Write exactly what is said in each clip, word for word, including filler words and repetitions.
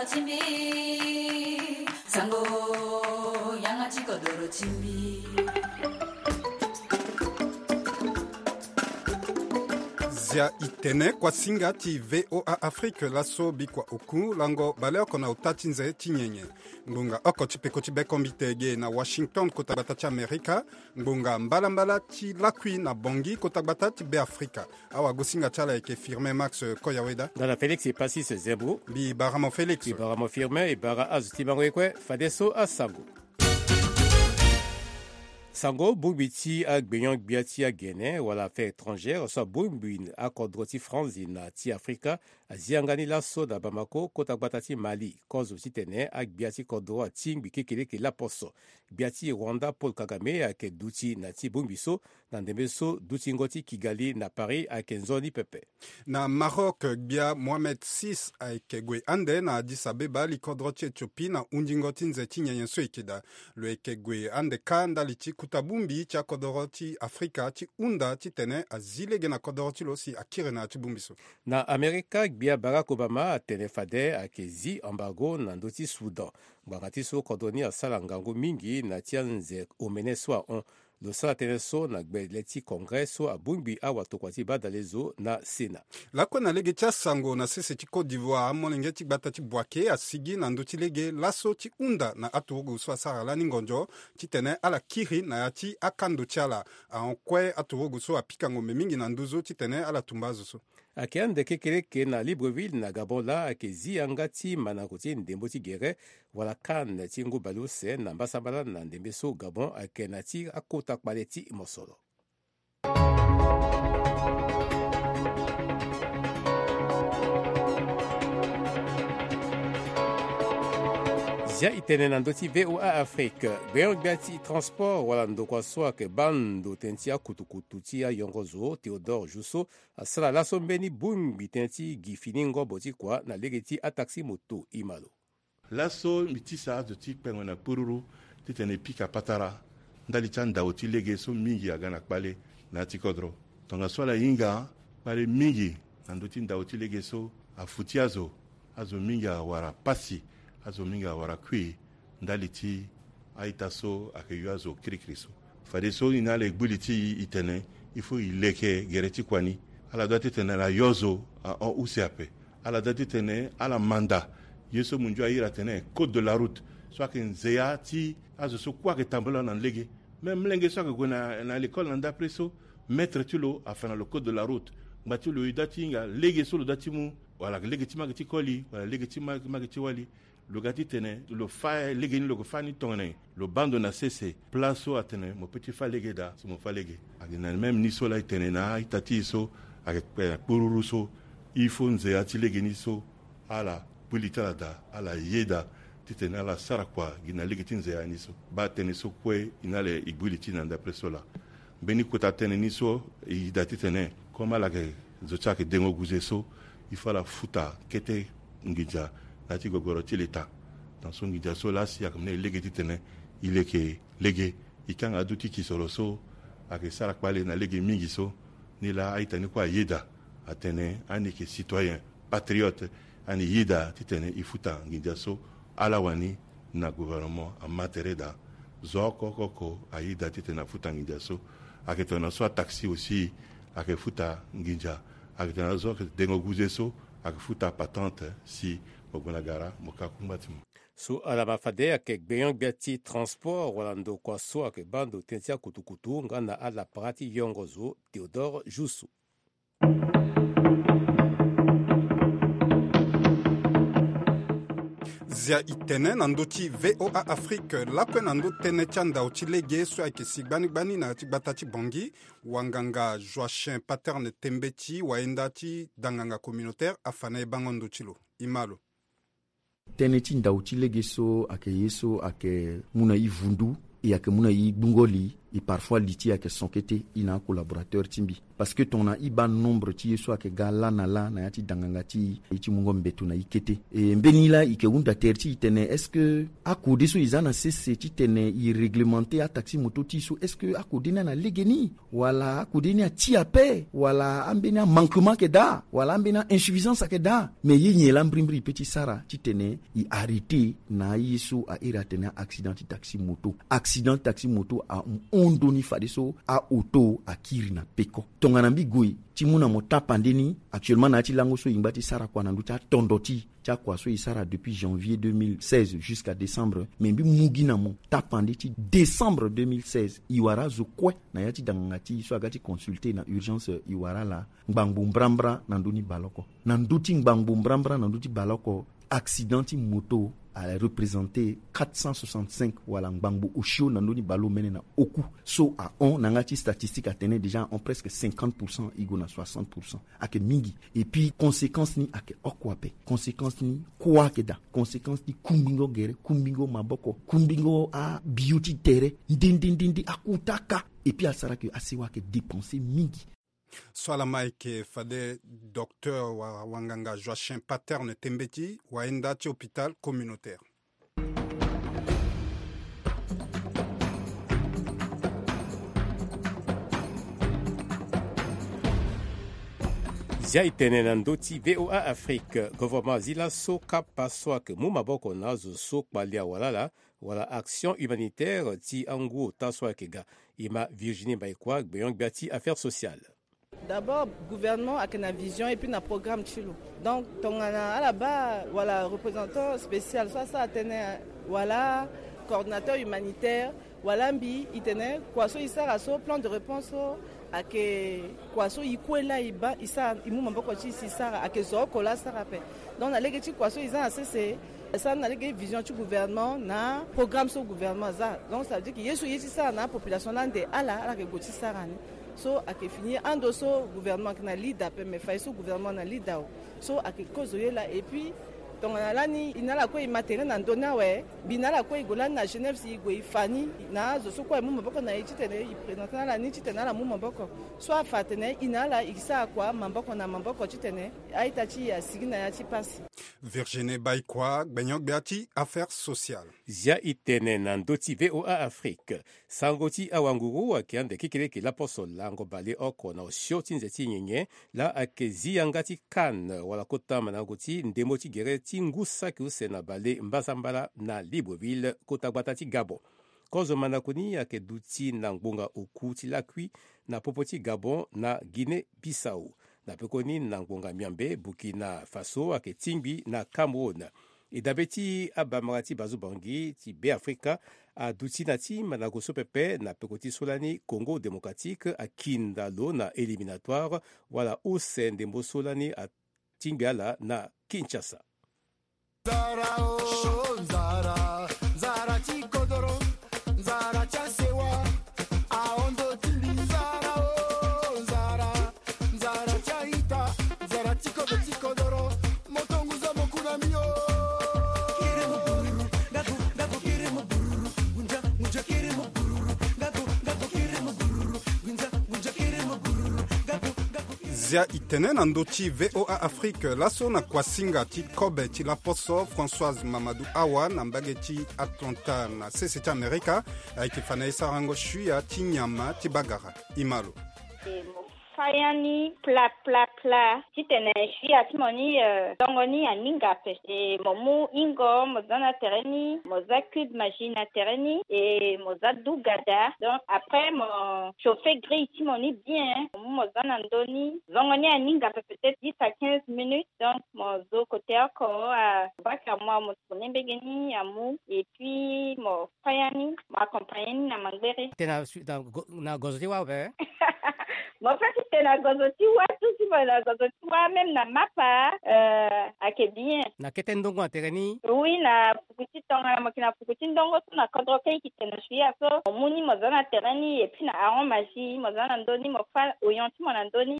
Timbi, sango, yanga ti kodoro timbi. Zia i tene kuasinga ti V O A Afrique laso bikua oku lango baleoko na ota ti nze ti nyenye. Ngbonga oko ti peko ti bekombite ge na Washington kota gbata ti Amerika. Ngbonga mbalambala ti lakui na Bangui kota gbata ti Beafrika. Awagosinga ti ala ayeke Firmin Max Koyaweda. Nga na Félix Passis Zebro. Mbi bara mo Félix. Mbi bara mo Firmin, e bara azo ti bango ye kue, fadeso asango. Sango bongbi ti agbenyon-gbia ti agene wala affaires étrangères so abongbi akodro ti Franzi na ti Afrika azi yanga ni laso na Bamako kota gbata ti Mali kozo titene agbia ti kodro atingbi kekeleke laposo. Gbia ti Rwanda Paul Kagame ayeke duti na ti bongbi so na ndembe so dutingo ti Kigali na Paris ayeke nzoni pepe. Na Maroc, gbia Mohamed six ayeke gue ande na Addis Abeba, likodro ti Éthiopie, na hundingo ti nze ti nyenye so e yeke daa. Lo yeke gue ande kâ ndali ti kuta bongbi ti akodoro ti Afrika ti hunda titene azi lege na kodoro ti lo si akiri na ya ti bongbi so. Na Amerika, gbia Barack Obama atene fade ayeke zi embargo na ndö ti Soudan. Ngbanga ti so kodro ni asara ngangu mingi na ti anze omene so ahon. Lo sara tënë so na gbele ti Congrès so abongbi awatokua ti badalezo na Sénat. Lakue na lege ti asango na sese ti Côte d'Ivoire, amolenge ti gbata ti Boaké asigi na ndö ti lege laso ti hunda na aturugu so asara lani ngonzo titene ala kiri na ya ti akando ti ala. Ahon kue aturugu so apika ngombe mingi na nduzu titene ala tumba azo so. Ayeke ande kekereke na Libreville na Gabon laa ayeke zi yanga ti mandango ti ndembo ti gere wala CAN ti ngu baleuse na mbasambala na ndembe so Gabon ayeke na ti akota kpale ti mosoro. Zia i tene na ndö ti V O A Afrique, gbenyo-gbia ti transport wala ndokua so ayeke baa ndo tënë ti akutukutu ti ayongo zo Théodore Jousso asara laso mbeni bongbi tënë ti gi fini ngobo ti kua na lege ti ataxi moto. Imalo. Laso mbi tisa azo ti kpengo na kpururu titene e pika patara ndali ti andao ti lege so mingi aga na kpale na ya ti kodro. Tongaso ala hinga kpale mingi na ndö ti ndao ti lege so afuti azo. Azo mingi awara pasi, azo mingi awara kui ndali ti a-ita so ayeke yo azo kirikiri so. Fadeso ni na ala e gbu li ti e, e tene il faut e leke gere ti kua ni. Ala doit titene ala yo zo ahon use ape. Ala doit titene ala manda ye so mundio ahiri atene code de la route so ayeke nzea ti azo so kue ayeke tambula na lege. Même molenge so ayeke gue na, na lekole na ndapre so, maître ti lo afa na lo code de la route. Ngba ti lo e doit ti hinga lege so lo doit ti mu, wala lege ti ma yeke ti koli wala lege ti ma, ma yeke ti wali. Lo ga titene lo fa lege ni, lo yeke fa ni tongana nyen? Lo baa ndo na sese. Place so atene mo peut ti fa lege daa si mo fa lege. Ayeke na même ni so laa e tene na a-ita ti e so ayeke kpe na kpururu so, il faut nzea ti lege ni so ala kpili ti ala daa, ala yeda titene ala sara kua gi na lege ti nzea ni so. Baa tënë so kue e na ala e gbu li ti e na ndapre so laa. Mbeni kota tënë ni so e yeda titene comme ala yeke zo ti ayeke dengo guze so, il faut ala futa kete nginza na ya ti gogoro ti leta. Tongaso nginza so laa si ayeke mu na e lege titene e leke lege. E kanga aduti kisoro so ayeke sara kpale na lege mingi so. Ni laa a-ita ni kue ayeda atene ani yeke citoyen patriote, ani yeda titene e futa nginza so ala wani na gouvernement ama tere daa. Zo oko oko oko ayeda titene afuta nginza so. Ayeke tongana so ataxi aussi ayeke futa nginza. Ayeke tongana zo ayeke dengo guze so ayeke futa patente si mo gue na gara mo ka kungba ti mo. So ala ma fade ayeke gbenyo-gbia ti transport wala ndokua so ayeke baa ndo tënë ti akutukutu nga na alapara ti yongo zo Théodore Jousso. Zia i tene na ndö ti V O A Afrique lakue na ndö tënë ti andao ti lege so ayeke si gbani gbani na ya ti gbata ti Bangui. Wanganga Joachim Paterne Tembeti, wayenda ti danganga communautaire, afa na e bango ndo ti lo. E ma lo. Tënë ti ndao ti lege so ayeke ye so ayeke mu na e vundu, e ayeke mu na e gbungo li E parfois li ti e ayeke son kete, e na acollaborateur ti mbi. Parce que tongana e baa nombre ti ye so ayeke ga laa na laa na ya ti danganga ti e, e ti mungo mbeto na e kete. E mbeni laa e yeke hunda tere ti e tene, est-ce que akode so e za na sese titene e réglementer ataxi moto ti e so, est-ce que akode ni ana legeni? Wala akode ni ati ape? Wala ambeni amanquement ayeke daa? Wala ambeni ainsuffisance ayeke daa? Mais ye nyen laa mbrimbri e peut ti sara titene e arrêter na aye so a iri atene accident ti taxi moto? Accident ti taxi moto ahon ndoni fadeso aoto akiri na peko. Tongana mbi gue ti mu na mo tapande ni, actuellement na ya ti lango so e ngba ti sara kua na ndö ti atondo ti ti akua so e sara depuis janvier deux mille seize jusqu'à décembre. Mais mbi mu gi na mo tapande ti décembre deux mille seize, e wara azo kue na ya ti danganga ti e so aga ti consulter na urgence, e wara ala ngbangbo mbrambra na ndö ni baleoko. Na ndö ti ngbangbo mbrambra na ndö ti baleoko, accident ti moto a représenter quatre cent soixante-cinq, wala ngbangbo osio na ndö ni baleomene na oku. So ahon na yanga ti statistique atene déjà ahon presque cinquante pour cent, e gue na soixante pour cent. Ayeke mingi. Et puis conséquence ni ayeke oko ape. Conséquence ni kua ayeke daa. Conséquence ni kungbingo gere, kungbingo maboko, kungbingo abio ti tere, nde nde nde nde, akuta kâ. Et puis asara ke asewa ayeke dépenser mingi. So ala ma ayeke fade docteur wa wanganga Joachim Paterne Tembeti, wayenda ti hôpital communautaire. Zia e tene na ndö ti V O A Afrique, gouvernement azi laso kapa so ayeke mu maboko na azo so kpali awalala, wala action humanitaire ti angu ota so ayeke ga. E ma Virginie Mbaïkoi, gbenyo-gbia ti affaires sociales. D'abord, gouvernement ayeke na vision et puis na programme ti lo. Donc tongana ala baa wala représentant spécial so asara tënë, wala coordinateur humanitaire, wala mbi, e tene kua so e sara so, plan de réponse so, ayeke kua so e kue laa e baa, e sara, e mu maboko ti e si e sara, ayeke zo oko laa asara ape. Donc na lege ti kua so e za na sese, e sara ni na lege vision ti gouvernement na programme so gouvernement aza. Donc ça veut dire que ye so e ye ti sara na apopulation laa ande ala, ala yeke gue ti sara ni. So ayeke fini ando so gouvernement ayeke na leader ape, mais fade so gouvernement na leader o. So ayeke kozo ye laa. Et puis tongana lani e na ala kue e ma tere na ndö ni awe, mbi na ala kue e gue lani na Genève si e gue e fa ni na azo so kue e mu maboko na e titene e présenter na ala ni titene ala mu maboko. So afa atene e na ala e sara kua maboko na maboko titene a-ita ti e asigi na ya ti pasi. Virginie Baïkoi, gbenyo-gbia ti affaires sociales. Zia e tene na ndö ti V O A Afrique. Sango ti awanguru ayeke ande kekereke laposo lango baleoko na osio ti nze ti nyenye, laa ayeke zi yanga ti CAN, wala kota mandango ti ndembo ti gere ti ngu saki use na balembasambala na Libreville, kota gbata ti Gabon. Kozo mandako ni ayeke duti na ngbonga oku ti lakui na popo ti Gabon na Guinée Bissau. Na pekoni na ngbonga miambe, Burkina Faso ayeke tingbi na Cameroun. E dabe ti abamara ti Bazubangi ti Beafrika aduti na ti mandako so pepe na peko ti so lani Congo Démocratique akinda lo na éliminatoire wala use ndembo so lani atingbi ala na Kinshasa. Nzara o, nzara, nzara ti kodoro, nzara ti asewa, ahondo ti mbi. Nzara o, nzara, nzara ti a-ita, nzara ti kodo ti kodoro, moto ngu zo mo ku na mbi o. Kiri mo bururu, gago, gago, kiri mo bururu, gunja, gunja, kiri mo bururu, gago, gago, kiri mo bururu, gunja, gunja, kiri mo bururu, gago, gago. Zia e tene na ndö ti V O A Afrique, laso na kuasinga ti kobe ti laposo, Françoise Mamadou Awa na mbage ti Atlanta na sese ti Amerika, ayeke fa na e sarango suya ti nyama ti bagara. E ma lo. E mo fa ya ni pla, pla, pla. Titene suya ti mo ni, eh, tongo ni aninga ape. E mo mu hingo, mo za na tere ni, mo za cube Maggi na tere ni, e mo za dugada. Donc, après, mo chauffer grille ti mo ni bien, mo mu mo za na ndö ni. Zongo ni aninga ape peut-être dix à quinze minutes. Donc, mo zo kote oko, abaka mo, mo tourner mbege ni amu. Et puis, mo fa ya ni, mo accompagner ni na mangbere. Tene na su-, na go-, na gozo ti wâ ape? Mo fa ti tene na gozo ti wâ, tout si mo na gozo ti wâ, même na mapa, euh, ayeke bien. Na kete ndongo na tere ni? Oui, na fuku ti tongana mo yeke na fuku ti ndongo so na kodro kâ e yeke tene na suya so, mo mu ni mo za na tere ni, et puis na Aron Maggi, mo za na ndö ni, mo fa oignon ti mo na ndö ni.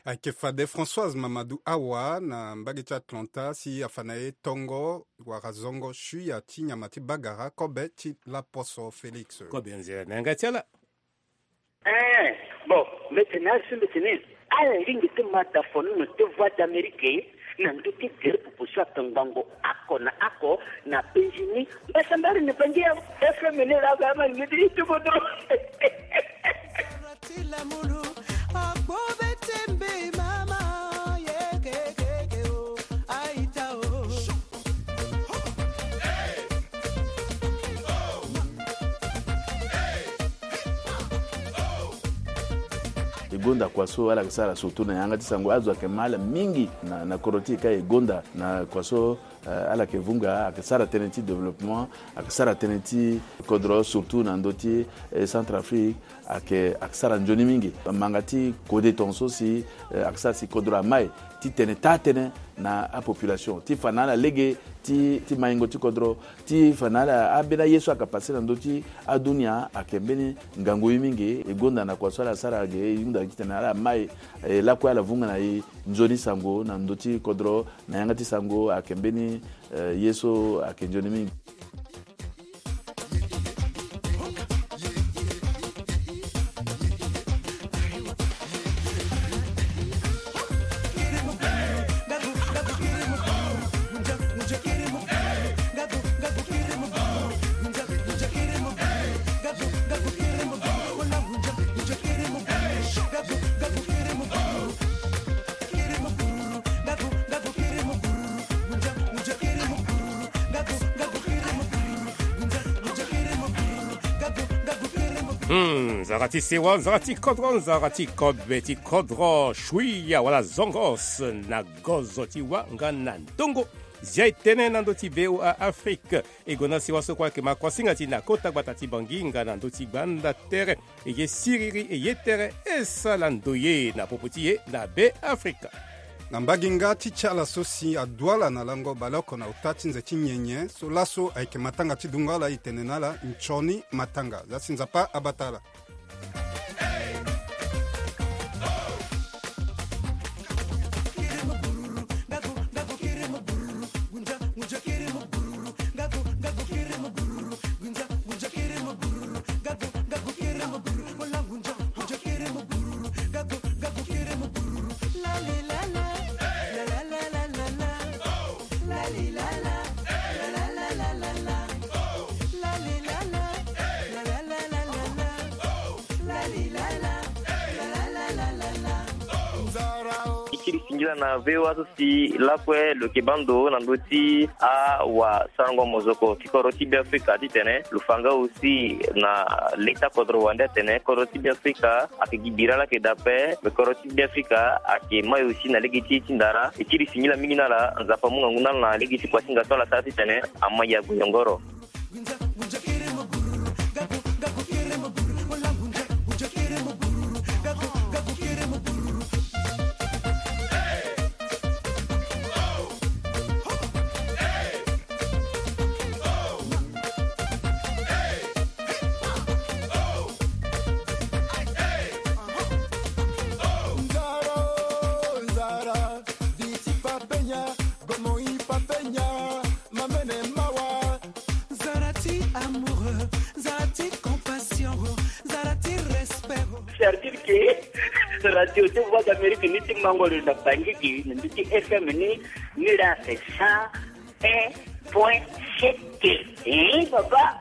Ayeke fade Françoise Mamadou Awa na mbage ti Atlanta si afa na e tongo wala zongo suya ti nyama ti bagara kobe ti laposo Félix. Kobe nzere na yanga ti ala. Eh, bon, mete na asu mete ni. Ala lingi ti mata fono na te Voix d'Amérique na ndö ti gere popo so ake ngbangbo oko na oko na penzi ni. Mbasambari na bangi ya F M ni la ba ma lingi ti tubo do. E gonda kua so ala yeke sara surtout na yanga ti sango, azo ayeke ma ala mingi na, na kodro ti e ka. E gonda na kua so, eh, ala yeke vunga, ayeke sara tënë ti développement, ayeke sara tënë ti kodro, surtout na ndö ti, eh, Centrafrique, ayeke, ayeke sara nzoni mingi. Manga ti kode tongaso si, eh, ayeke sara si kodro amai ti tene taa tënë na apopulation, ti fa na ala lege ti, ti maingo ti kodro, ti fa na ala, ambeni aye so ayeke pase na ndö ti adunia ayeke mbeni ngangu ye mingi. E gonda na kua so ala sara ge, e hunda titene ala mai, eh, lakue ala vunga na e nzoni sango na ndö ti kodro, na yanga ti sango ayeke mbeni, eh, ye so ayeke nzoni mingi. Hmm, nzara ti sewa, nzara ti kodro, nzara ti kobe ti kodro, shuia wala zongos na gozo ti wa nga na ndongo. Zia e tene na ndö ti V O A Afrique. E gue na sewa so kue ayeke ma kuasinga ti na kota gbata ti Bangui nga na ndö ti gbanda tere. E ye siriri, e ye tere, e sala ndoye na popo ti e na Be Afrika. Na mbage nga ti ti ala so si adu ala na lango baleoko na ota ti nze ti nyenye so laso ayeke matanga ti dungo ala, e tene na ala nzoni matanga. Za si Nzapa abata ala. E kiri singila na V O A so si lakue lo yeke baa ndo na ndö ti awasarango mozoko ti kodro ti Be Afrika titene lo fa nga aussi na leta kodro wande atene kodro ti Be Afrika ayeke gi bira laa ayeke daa ape. Me kodro ti Be Afrika ayeke mai aussi na lege ti e ti ndara. E kiri singila mingi na ala, Nzapa amu ngangu na ala na lege ti kuasinga so ala sara titene amai ague yongoro. Nzara ti amour, nzara ti compassion, nzara ti respect. C'est-à-dire que radio ti Voix d'Amérique ni ti mango lo na Bangui gi na ndö ti F M ni, ni la c'est cent un point sept. Eh, papa.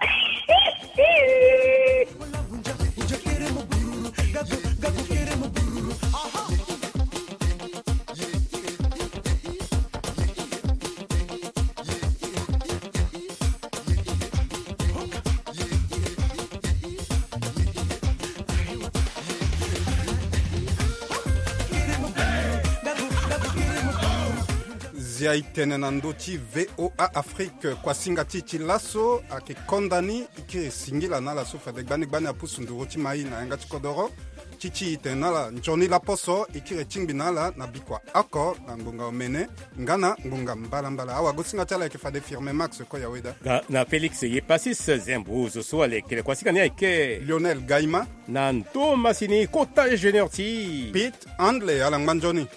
Zia e tene na ndö ti V O A Afrique, kuasinga ti e ti laso ayeke konda ni. E kiri singila na ala so fade gbani gbani apusu nduru ti mai na yanga ti kodoro. Ti ti e tene na ala nzoni laposo, e kiri tingbi na ala na bikua oko na ngbonga omene nga na ngbonga mbalambala. Awagosinga ti ala ayeke fade Firme Max Koyaweda. Nga na Félix Yepasis Zembrouz so alekere kuasinga ni ayeke Lionel Gaima. Na ndo masini kota ingénieur ti Pete Handley, ala ngba nzoni.